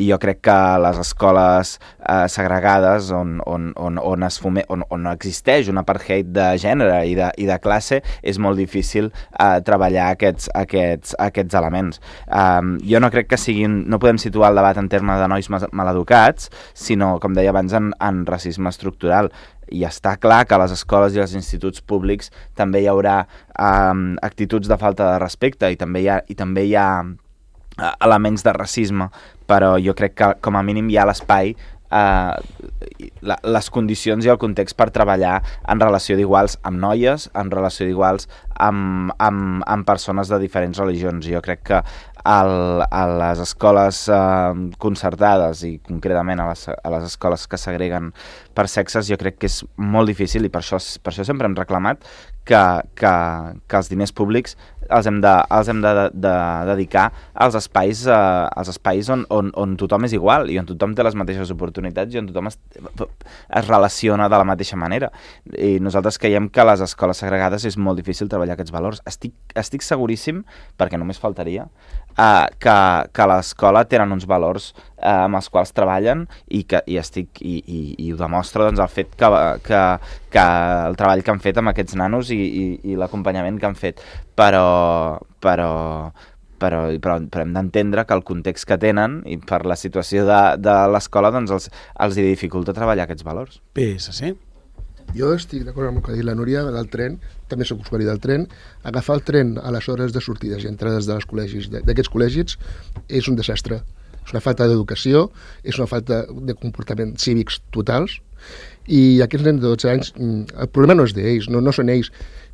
I jo crec que les escoles eh, segregades on, on, on, on, es fume, on, on existeix un apartheid de gènere i de, i de classe és molt difícil eh, treballar aquests, aquests, aquests elements. Um, jo no crec que siguin, no podem situar el debat en termes de nois maleducats, sinó, com deia abans, en, en racisme estructural. I està clar que a les escoles i als instituts públics també hi haurà um, actituds de falta de respecte i també hi ha, i també hi ha uh, elements de racisme, però jo crec que com a mínim hi ha l'espai, eh, la, les condicions i el context per treballar en relació d'iguals amb noies, en relació d'iguals amb, amb, amb persones de diferents religions. Jo crec que el, a les escoles eh, concertades i concretament a les, a les escoles que segreguen per sexes, jo crec que és molt difícil i per això, per això sempre hem reclamat que, que, que els diners públics els hem de, els hem de, de, de dedicar als espais, eh, als espais on, on, on tothom és igual i on tothom té les mateixes oportunitats i on tothom es, es relaciona de la mateixa manera. I nosaltres creiem que a les escoles segregades és molt difícil treballar aquests valors. Estic, estic seguríssim, perquè només faltaria, eh, que, que a l'escola tenen uns valors eh, amb els quals treballen i, que, i, estic, i, i, i ho demostra doncs, el fet que, que, que el treball que han fet amb aquests nanos i, i, i l'acompanyament que han fet. Però, però, però, però, però hem d'entendre que el context que tenen i per la situació de, de l'escola doncs els, els hi dificulta treballar aquests valors. P S C. Jo estic d'acord amb el que ha dit la Núria del tren, també soc usuari del tren. Agafar el tren a les hores de sortides i entrades dels col·legis, d'aquests col·legis, és un desastre. És una falta d'educació, és una falta de comportaments cívics totals, i aquests nens de dotze anys, el problema no és d'ells, no, no són ells,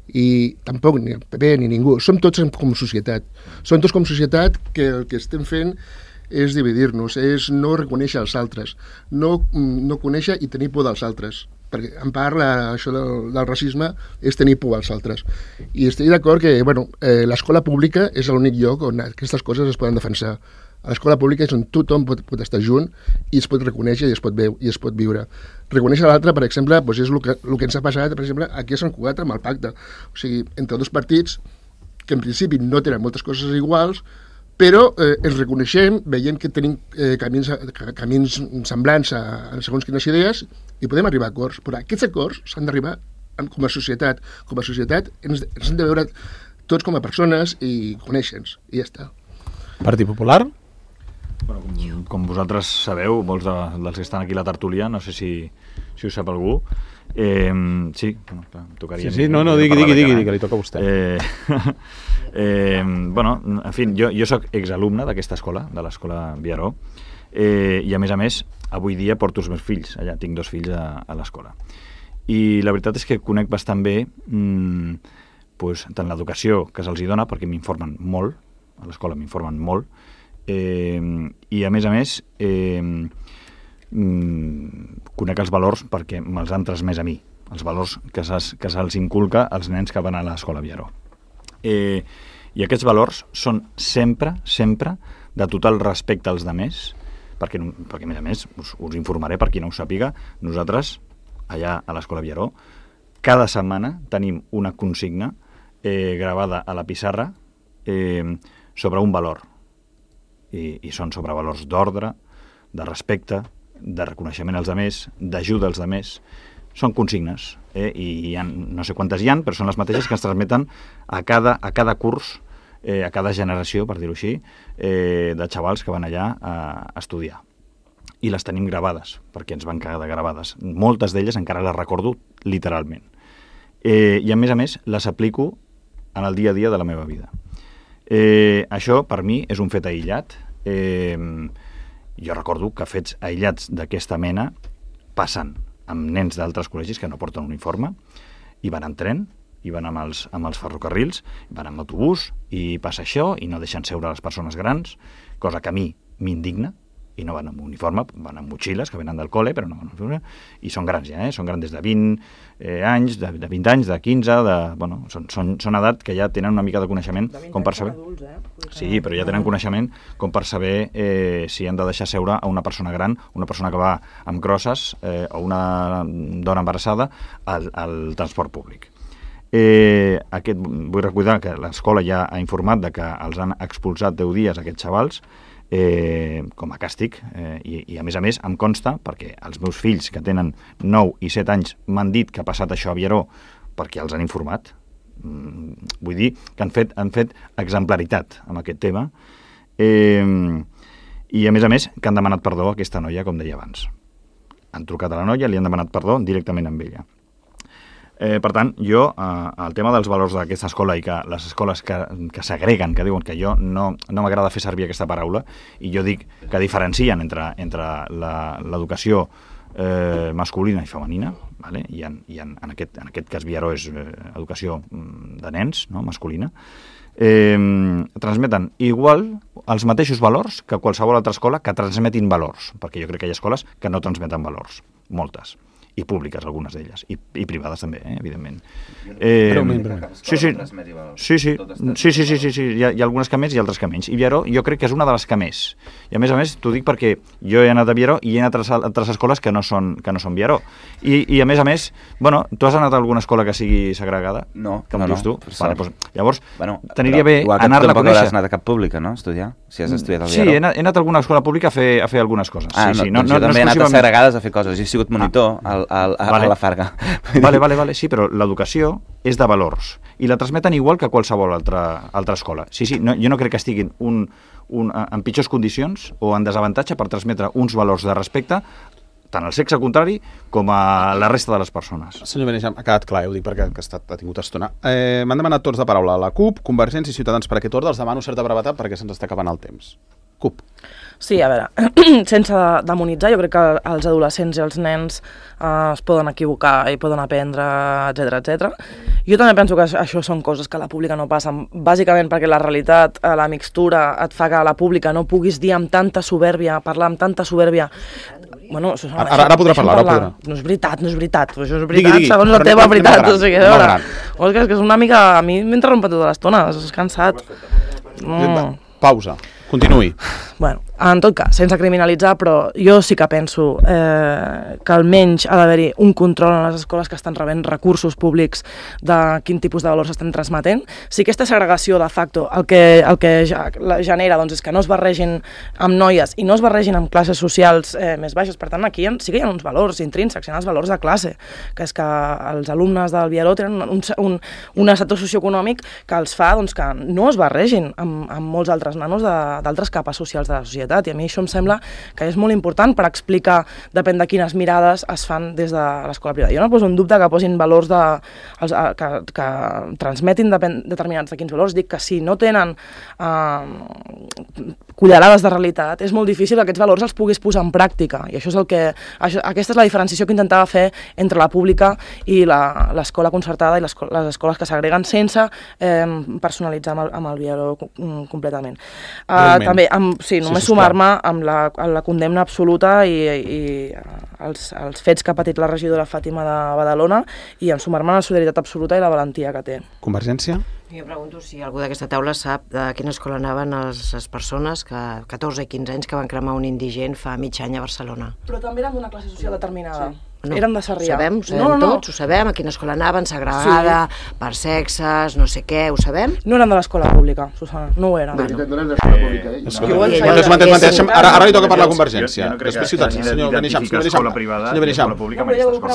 i tampoc ni el P P ni ningú, som tots com societat. Som tots com societat que el que estem fent és dividir-nos, és no reconèixer els altres, no, no conèixer i tenir por dels altres. Perquè en part la, això del, del racisme és tenir por als altres. I estic d'acord que bueno, eh, l'escola pública és l'únic lloc on aquestes coses es poden defensar. A l'escola pública és on tothom pot, pot estar junt i es pot reconèixer i es pot, veu, i es pot viure. Reconèixer l'altre, per exemple, doncs és el que, el que ens ha passat, per exemple, aquí a Sant Cugat amb el pacte. O sigui, entre dos partits que en principi no tenen moltes coses iguals, però eh, ens reconeixem, veiem que tenim eh, camins, camins semblants a, a segons quines idees i podem arribar a acords, però aquests acords s'han d'arribar com a societat. Com a societat ens, ens hem de veure tots com a persones i conèixer-nos, i ja està. Partit Popular? Bueno, com, com vosaltres sabeu, molts de, dels que estan aquí a la tertúlia, no sé si, si ho sap algú, eh, sí, bueno, clar, tocaria... Sí, sí, no, no, digui, digui, digui, que li toca a vostè. Eh, eh, bueno, en fi, jo, jo soc exalumne d'aquesta escola, de l'escola Viaró, eh, i a més a més, avui dia porto els meus fills, allà tinc dos fills a, a l'escola. I la veritat és que conec bastant bé mmm, pues, tant l'educació que se'ls hi dona, perquè m'informen molt, a l'escola m'informen molt, eh, i a més a més eh, mm, conec els valors perquè me'ls han transmès a mi, els valors que se'ls inculca als nens que van a l'escola Viaró. Eh, I aquests valors són sempre, sempre de total respecte als demés, perquè, perquè a més a més us, us informaré per qui no ho sàpiga, nosaltres allà a l'escola Viaró cada setmana tenim una consigna eh, gravada a la pissarra eh, sobre un valor I, i són sobre valors d'ordre, de respecte, de reconeixement als demés, d'ajuda als demés. Són consignes, eh? I hi ha, no sé quantes hi ha, però són les mateixes que ens transmeten a cada, a cada curs, eh, a cada generació, per dir-ho així, eh, de xavals que van allà a, a estudiar. I les tenim gravades, perquè ens van quedar gravades. Moltes d'elles encara les recordo literalment. Eh, I a més a més les aplico en el dia a dia de la meva vida. Eh, això per mi és un fet aïllat. Eh, jo recordo que fets aïllats d'aquesta mena passen amb nens d'altres col·legis que no porten uniforme i van en tren, i van amb els, amb els ferrocarrils, van amb autobús i passa això i no deixen seure les persones grans, cosa que a mi m'indigna, i no van amb uniforme, van amb motxilles que venen del col·le, però no van amb uniforme, i són grans ja, eh? Són grans des de vint eh, anys, de, de vint anys, de quinze, de, bueno, són, són, són edat que ja tenen una mica de coneixement com per saber... Adults, eh? Sí, però ja tenen coneixement com per saber eh, si han de deixar seure a una persona gran, una persona que va amb crosses eh, o una dona embarassada al, al transport públic. Eh, aquest, vull recordar que l'escola ja ha informat de que els han expulsat deu dies aquests xavals, Eh, com a càstig, eh, i, i a més a més em consta, perquè els meus fills que tenen nou i set anys m'han dit que ha passat això a Viaró perquè els han informat. Mm, vull dir que han fet, han fet exemplaritat amb aquest tema, eh, i a més a més que han demanat perdó a aquesta noia, com deia abans. Han trucat a la noia, li han demanat perdó directament amb ella. Eh, per tant, jo, eh, el tema dels valors d'aquesta escola i que les escoles que, que s'agreguen, que diuen que jo no, no m'agrada fer servir aquesta paraula, i jo dic que diferencien entre, entre l'educació eh, masculina i femenina, vale? I, en, i en, en, aquest, en aquest cas Viaró és eh, educació de nens, no? Masculina, eh, transmeten igual els mateixos valors que qualsevol altra escola que transmetin valors, perquè jo crec que hi ha escoles que no transmeten valors, moltes, i públiques, algunes d'elles, i, i privades també, eh, evidentment. Eh, sí, sí, sí, sí, sí, sí, sí, sí, sí. Hi, ha, hi ha algunes que més i altres que menys. I Viaró jo crec que és una de les que més. I a més a més t'ho dic perquè jo he anat a Viaró i he anat a altres escoles que no són, que no són Viaró. I, I a més a més, bueno, tu has anat a alguna escola que sigui segregada? No, com no, dius tu? no. Vale, doncs, llavors, bueno, t'aniria bé anar-la a conèixer. Igual que tampoc hauràs anat a cap pública, no? Estudiar, si has estudiat al Viaró. Sí, he anat, he anat a alguna escola pública a fer, a fer algunes coses. Ah, sí, no, sí, no, doncs no, jo també no he anat a segregades a fer coses. Jo he sigut monitor ah. al, al, al, a, vale. a la Farga. Vale, vale, vale, sí, però l'educació és de valors i la transmeten igual que qualsevol altra, altra escola. Sí, sí, no, jo no crec que estiguin un, un, en pitjors condicions o en desavantatge per transmetre uns valors de respecte tant al sexe contrari com a la resta de les persones. Senyor Benejam, ha quedat clar, eh? Ho dic perquè ha, estat, ha tingut estona. Eh, M'han demanat tots de paraula la CUP, Convergència i Ciutadans per aquest ordre. Els demano certa brevetat perquè se'ns està acabant el temps. CUP. Sí, a veure, sense demonitzar, jo crec que els adolescents i els nens eh, es poden equivocar i poden aprendre, etcètera, etcètera. Jo també penso que això són coses que a la pública no passen, bàsicament perquè la realitat, la mixtura, et fa que a la pública no puguis dir amb tanta soberbia, parlar amb tanta soberbia. Bueno, això, ara, ara, ara podrà parlar, ara podrà. No és veritat, no és veritat. Això és veritat, digui, digui, segons la teva veritat. Gran, o sigui, no veure, o és que és una mica... A mi m'interrompen tota l'estona, és cansat. Mm. Pausa. Continuï. Bueno, en tot cas, sense criminalitzar, però jo sí que penso eh, que almenys ha d'haver-hi un control en les escoles que estan rebent recursos públics de quin tipus de valors estan transmetent. Si aquesta segregació de facto el que, el que ja, la genera doncs, és que no es barregin amb noies i no es barregin amb classes socials eh, més baixes, per tant aquí sí que hi ha uns valors intrínsecs, hi ha els valors de classe, que és que els alumnes del Vieró tenen un, un, un estatus socioeconòmic que els fa doncs, que no es barregin amb, amb molts altres nanos d'altres capes socials de la societat, i a mi això em sembla que és molt important per explicar, depèn de quines mirades es fan des de l'escola privada. Jo no poso en dubte que posin valors de, els, que, que transmetin depèn, determinats de quins valors, dic que si no tenen eh, cullerades de realitat, és molt difícil que aquests valors els puguis posar en pràctica, i això és el que, això, aquesta és la diferenciació que intentava fer entre la pública i l'escola concertada i les, les escoles que s'agreguen sense eh, personalitzar amb el, amb el Vieró completament. Uh, també, amb, sí, només sí, sumar-me amb la, amb la condemna absoluta i, i els, els fets que ha patit la regidora Fàtima de Badalona, i en sumar-me a la solidaritat absoluta i la valentia que té. Convergència? Jo pregunto si algú d'aquesta taula sap de quina escola anaven les, les persones que catorze i quinze anys que van cremar un indigent fa mig any a Barcelona. Però també eren d'una classe social determinada. Sí. No, eren de Sarrià. Ho sabem, ho sabem no, no, no. tots, ho sabem, a quina escola anaven, segregada, sí. per sexes, no sé què, ho sabem? No eren de l'escola pública, Susana, no ho eren. Bueno. No eren de l'escola pública, eh? No. No. Mantens, mantens, mantens. Ara, ara li toca parlar a Convergència. Després Ciutadans, senyor Benejam. Senyor Benejam.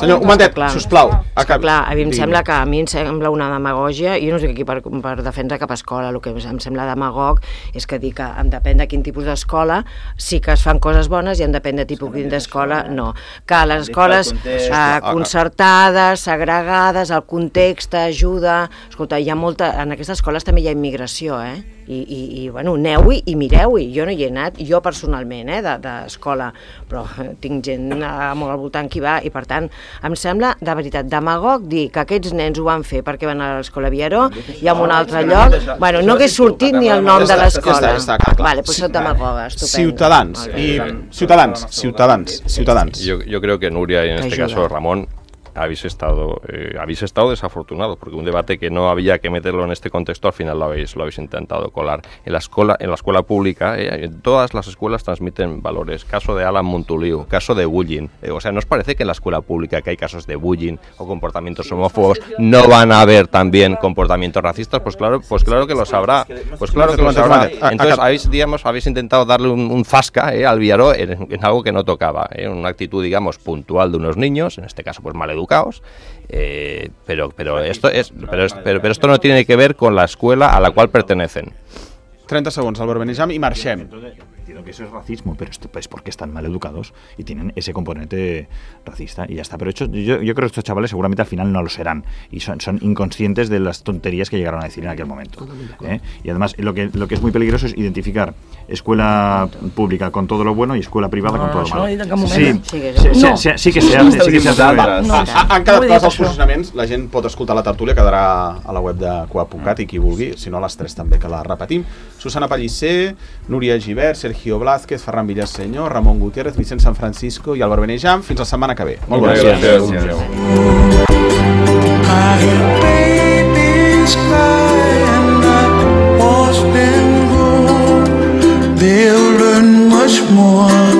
Senyor, un momentet, sisplau. Clar, a mi em sembla que a mi em sembla una demagògia, i jo no estic aquí per, per defensar cap escola, el que em sembla demagog és que dir que depèn de quin tipus d'escola sí que es fan coses bones i en depèn de tipus d'escola no. Que les escoles concertades, segregades, el context ajuda... Escolta, hi ha molta... En aquestes escoles també hi ha immigració, eh? I, i, i bueno, aneu-hi i mireu-hi. Jo no hi he anat, jo personalment, eh, d'escola, però tinc gent molt al voltant que hi va, i per tant, em sembla, de veritat, demagog dir que aquests nens ho van fer perquè van a l'escola Vieró i en un altre lloc, bueno, no hagués sortit ni el nom de l'escola. Vale, pues són demagogues, estupendo. Ciutadans, i Ciutadans, Ciutadans, Ciutadans. Yo, yo creo que Nuria, y en este caso Ramón, habéis estado eh, habéis estado desafortunados, porque un debate que no había que meterlo en este contexto al final lo habéis lo habéis intentado colar. En la escuela en la escuela pública, eh, todas las escuelas transmiten valores. Caso de Alan Montoliu, caso de bullying. Eh, o sea, ¿no os parece que en la escuela pública que hay casos de bullying o comportamientos homófobos no van a haber también comportamientos racistas? Pues claro, pues claro que lo sabrá. Pues claro que lo sabrá. Entonces habéis, digamos, habéis intentado darle un, un zasca eh, al Vieró en, en algo que no tocaba, eh, una actitud, digamos, puntual de unos niños, en este caso pues mal educados, eh, pero pero esto es pero, pero, pero esto no tiene que ver con la escuela a la cual pertenecen. treinta segundos, Álvaro Benejam, y marxem. Entiendo que eso es racismo, pero es pues porque están mal educados y tienen ese componente racista y ya está. Pero hecho, yo, yo creo que estos chavales seguramente al final no lo serán y son, son inconscientes de las tonterías que llegaron a decir en aquel momento. ¿eh? Y además lo que, lo que es muy peligroso es identificar escuela pública con todo lo bueno y escuela privada no, con todo lo malo. No, sí, sí, sí, sí, sí, sí que se hace. Sí que se hace. Va, no, han quedat clars els posicionaments, la gent pot escoltar la tertúlia, quedarà a la web de coap punt cat i qui vulgui, si no a les tres també que la repetim. Susana Pellicer, Núria Gibert, Sergio Blázquez, Ferran Villaseñor, Ramon Gutiérrez, Vicent San Francisco i Álvaro Benejam. Fins la setmana que ve. Molt bona gràcies. They'll learn much more